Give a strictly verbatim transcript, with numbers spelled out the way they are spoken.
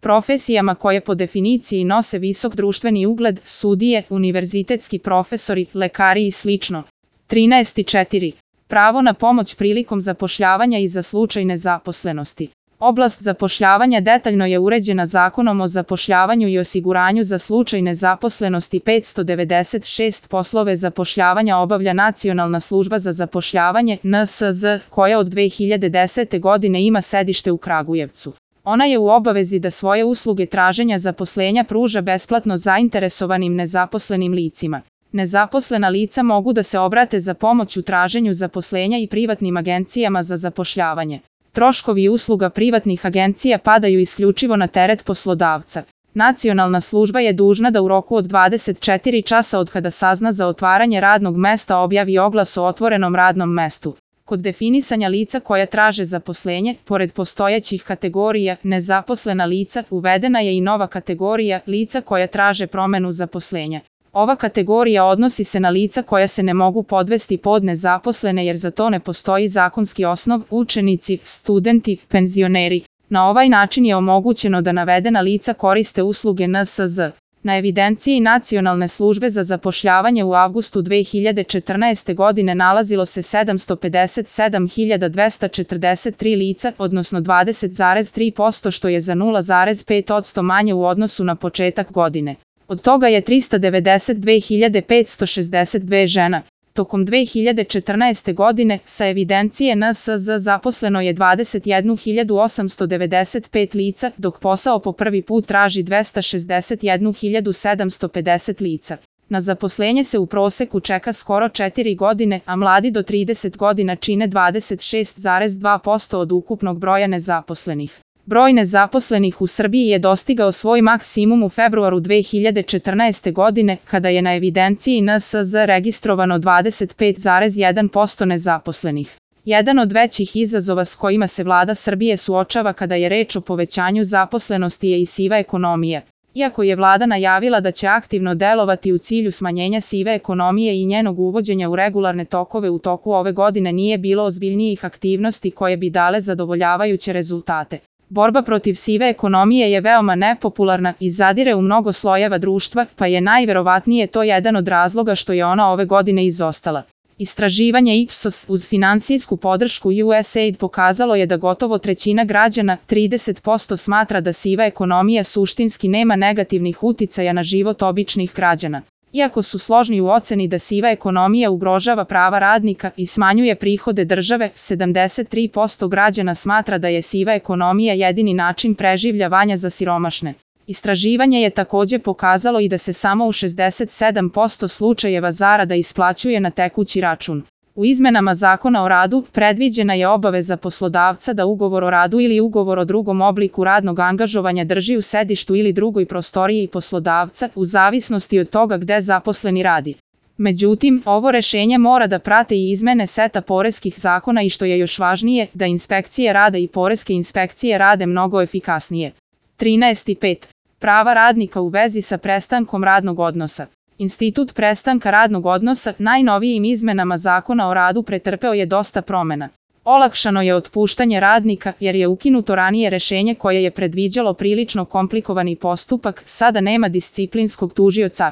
profesijama koje po definiciji nose visok društveni ugled, sudije, univerzitetski profesori, lekari i slično. trinaest četiri. Pravo na pomoć prilikom zapošljavanja i za slučaj nezaposlenosti. Oblast zapošljavanja detaljno je uređena Zakonom o zapošljavanju i osiguranju za slučaj nezaposlenosti. petsto devedeset šest Poslove zapošljavanja obavlja Nacionalna služba za zapošljavanje N S Z, koja od dve hiljade desete godine ima sedište u Kragujevcu. Ona je u obavezi da svoje usluge traženja zaposlenja pruža besplatno zainteresovanim nezaposlenim licima. Nezaposlena lica mogu da se obrate za pomoć u traženju zaposlenja i privatnim agencijama za zapošljavanje. Troškovi usluga privatnih agencija padaju isključivo na teret poslodavca. Nacionalna služba je dužna da u roku od dvadeset četiri časa od kada sazna za otvaranje radnog mesta objavi oglas o otvorenom radnom mestu. Kod definisanja lica koja traže zaposlenje, pored postojećih kategorija nezaposlena lica, uvedena je i nova kategorija lica koja traže promenu zaposlenja. Ova kategorija odnosi se na lica koja se ne mogu podvesti pod nezaposlene jer za to ne postoji zakonski osnov, učenici, studenti, penzioneri. Na ovaj način je omogućeno da navedena lica koriste usluge N S Z. Na evidenciji Nacionalne službe za zapošljavanje u avgustu dve hiljade četrnaeste. godine nalazilo se sedamsto pedeset sedam hiljada dvesta četrdeset tri lica, odnosno dvadeset zarez tri posto što je za nula zarez pet posto manje u odnosu na početak godine. Od toga je trista devedeset dve hiljade petsto šezdeset dve žena. Tokom dve hiljade četrnaeste. godine sa evidencije N S Z zaposleno je dvadeset jednu hiljadu osamsto devedeset pet lica, dok posao po prvi put traži dvesta šezdeset jednu hiljadu sedamsto pedeset lica. Na zaposlenje se u proseku čeka skoro četiri godine, a mladi do trideset godina čine dvadeset šest zarez dva posto od ukupnog broja nezaposlenih. Broj nezaposlenih u Srbiji je dostigao svoj maksimum u februaru dve hiljade četrnaeste. godine, kada je na evidenciji N S Z registrovano dvadeset pet zarez jedan posto nezaposlenih. Jedan od većih izazova s kojima se vlada Srbije suočava kada je reč o povećanju zaposlenosti je i siva ekonomija. Iako je vlada najavila da će aktivno delovati u cilju smanjenja sive ekonomije i njenog uvođenja u regularne tokove u toku ove godine nije bilo ozbiljnijih aktivnosti koje bi dale zadovoljavajuće rezultate. Borba protiv sive ekonomije je veoma nepopularna i zadire u mnogo slojeva društva, pa je najverovatnije to jedan od razloga što je ona ove godine izostala. Istraživanje Ipsos uz finansijsku podršku U S A I D pokazalo je da gotovo trećina građana, trideset posto, smatra da siva ekonomija suštinski nema negativnih uticaja na život običnih građana. Iako su složni u oceni da siva ekonomija ugrožava prava radnika i smanjuje prihode države, sedamdeset tri posto građana smatra da je siva ekonomija jedini način preživljavanja za siromašne. Istraživanje je takođe pokazalo i da se samo u šezdeset sedam posto slučajeva zarada isplaćuje na tekući račun. U izmenama Zakona o radu predviđena je obaveza poslodavca da ugovor o radu ili ugovor o drugom obliku radnog angažovanja drži u sedištu ili drugoj prostoriji poslodavca, u zavisnosti od toga gde zaposleni radi. Međutim, ovo rešenje mora da prate i izmene seta poreskih zakona i što je još važnije, da inspekcije rada i poreske inspekcije rade mnogo efikasnije. trinaest pet. Prava radnika u vezi sa prestankom radnog odnosa. Institut prestanka radnog odnosa najnovijim izmenama Zakona o radu pretrpeo je dosta promena. Olakšano je otpuštanje radnika jer je ukinuto ranije rešenje koje je predviđalo prilično komplikovani postupak, sada nema disciplinskog tužioca.